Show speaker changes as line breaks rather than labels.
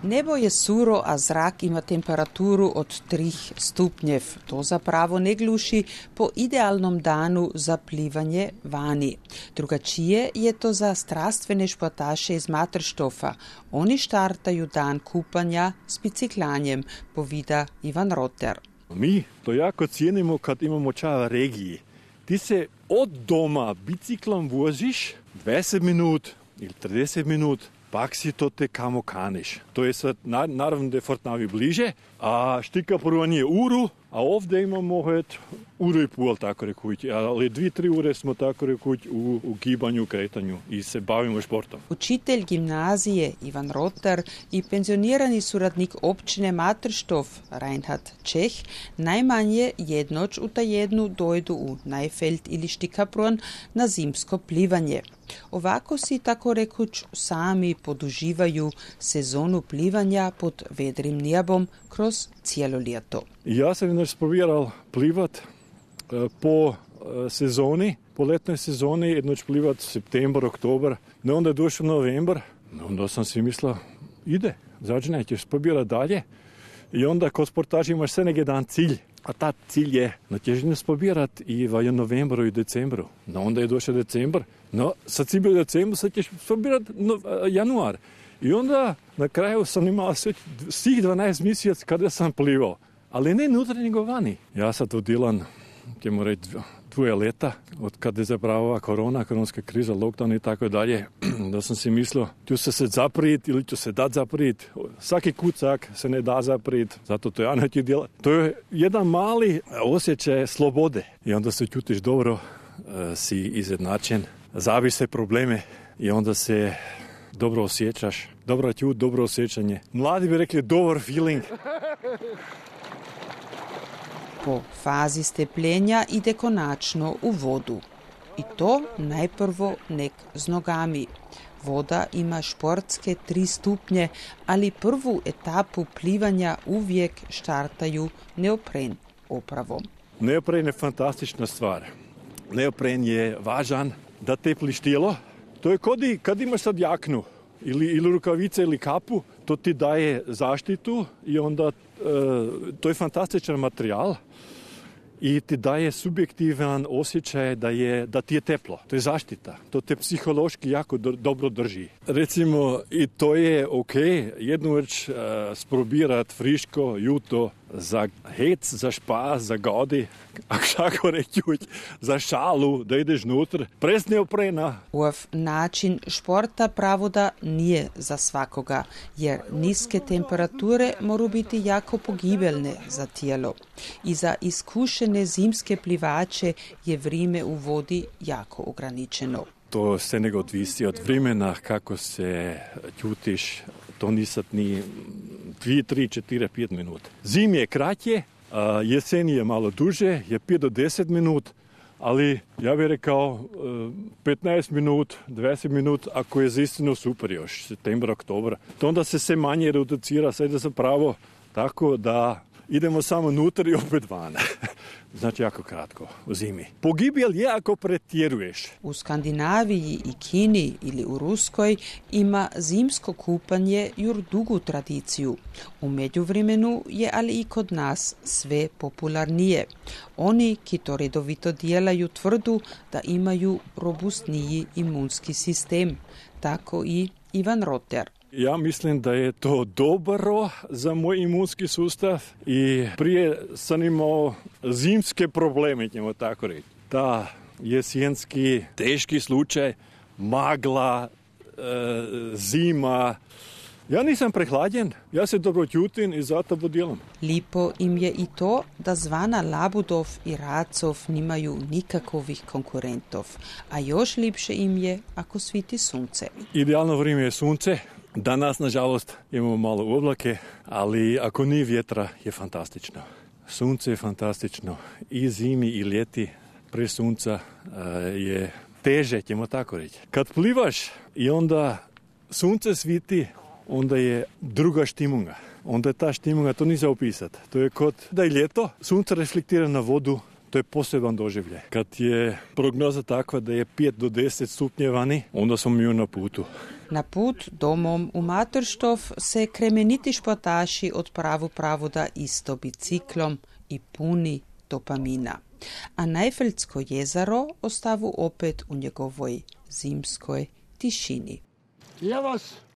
Nebo je suro, a zrak ima temperaturu od 3 stupnjev. To zapravo ne gluši po idealnom danu za plivanje vani. Drugačije je to za strastvene športaše iz Materštofa. Oni štartaju dan kupanja s biciklanjem, povida Ivan Roter.
Mi to jako cijenimo kad imamo čas regiji. Ti se od doma biciklom voziš 20 minut ili 30 minut, pak si to te kamo kaniš. To je sad, naravno da je Fortnavi bliže, a štika poruvanje uru, a ovdje imamo uru i pol, tako rekuć, ali 2-3 ure smo tako rekuć u gibanju, kretanju i se bavimo športom.
Učitelj gimnazije Ivan Roter i penzionirani suradnik općine Materštof Reinhard Čeh najmanje jednoć u tajednu dojdu u Najfeld ili Štikapron na zimsko plivanje. Ovako si, tako rekuć, sami poduživaju sezonu plivanja pod vedrim nebom kroz cijelo ljeto.
Ja sam inače probirao plivat po sezoni, po letnoj sezoni, jednoć plivat septembar, oktober, no onda je došao novembar, onda sam si mislio, ide, začinaj, ćeš probirati dalje i onda kod sportaža imaš sve jedan cilj. A ta cilj je natježnje spobirati i v novembru i decembru. No onda je došao decembar. No sad si bio decembru, sad ćeš spobirati januar. I onda na kraju sam imao svih 12 mjeseci kada sam plivao. Ali ne unutra nego vani. Ja sad odilan, ćemo reći, 2 leta, od kada je zapravo koronska kriza, lockdown i tako dalje, da sam si mislio, ću se sad zaprijeti ili ću se dat zaprijeti. Svaki kucak se ne da zaprijeti, zato to ja neću djelati. To je jedan mali osjećaj slobode. I onda se čutiš dobro, si izjednačen, zaviš se probleme i onda se dobro osjećaš. Dobra čut, dobro osjećanje. Mladi bi rekli dobar feeling.
Po fazi stepljenja ide konačno u vodu. I to najprvo nek z nogami. Voda ima športske 3 stupnje, ali prvu etapu plivanja uvijek štartaju neopren opravom.
Neopren je fantastična stvar. Neopren je važan da tepliš tijelo. To je kad imaš sad jaknu ili rukavice ili kapu, to ti daje zaštitu i onda to je fantastičan materijal i ti daje subjektivan osjećaj da ti je teplo. To je zaštita. To te psihološki jako dobro drži. Recimo, i to je ok, jednu već sprobirat friško juto za hec, za špas, za godi, kako reći, za šalu, da ideš nutr, prez neoprena.
Ov način športa pravoda nije za svakoga, jer niske temperature moru biti jako pogibelne za tijelo. I za iskušene zimske plivače je vrijeme u vodi jako ograničeno.
To se nego odvisi od vremena, kako se čutiš, to nisad ni 2, 3, 4, 5 minuta. Zim je kratje, jesen je malo duže, je 5 do 10 minut, ali ja bih rekao 15 minut, 20 minut, ako je zaistinu super još, september, oktober. To onda se sve manje reducira, sad je zapravo tako da idemo samo unutar i opet van. Znači jako kratko, u zimi. Pogibjel je ako pretjeruješ.
U Skandinaviji i Kini ili u Ruskoj ima zimsko kupanje jur dugu tradiciju. U međuvremenu je ali i kod nas sve popularnije. Oni, ki to redovito djelaju, tvrdu da imaju robustniji imunski sistem. Tako i Ivan Roter.
Ja mislim da je to dobro za moj imunski sustav i prije sam imao zimske probleme, ćemo tako reći. Ta jesenski teški slučaj, magla, zima. Ja nisam prehlađen, ja se dobro čutim i zato budjelam.
Lipo im je i to da zvana Labudov i Racov nimaju nikakovih konkurentov, a još lipše im je ako sviti sunce.
Idealno vrijeme je sunce. Danas, nažalost, imamo malo oblake, ali ako nije vjetra, je fantastično. Sunce je fantastično. I zimi i ljeti pre sunca je teže, ćemo tako reći. Kad plivaš i onda sunce sviti, onda je druga štimunga. Onda je ta štimunga, to nije za opisati. To je kod da je ljeto, sunce reflektira na vodu, To je poseban doživljaj. Kad je prognoza takva da je 5 do 10 stupnjev vani, onda smo mi na putu.
Na put domom u Materštov se kremeniti športaši odpravu pravoda isto biciklom i puni dopamina. A Najfeldsko jezero ostavu opet u njegovoj zimskoj tišini.
Ja vas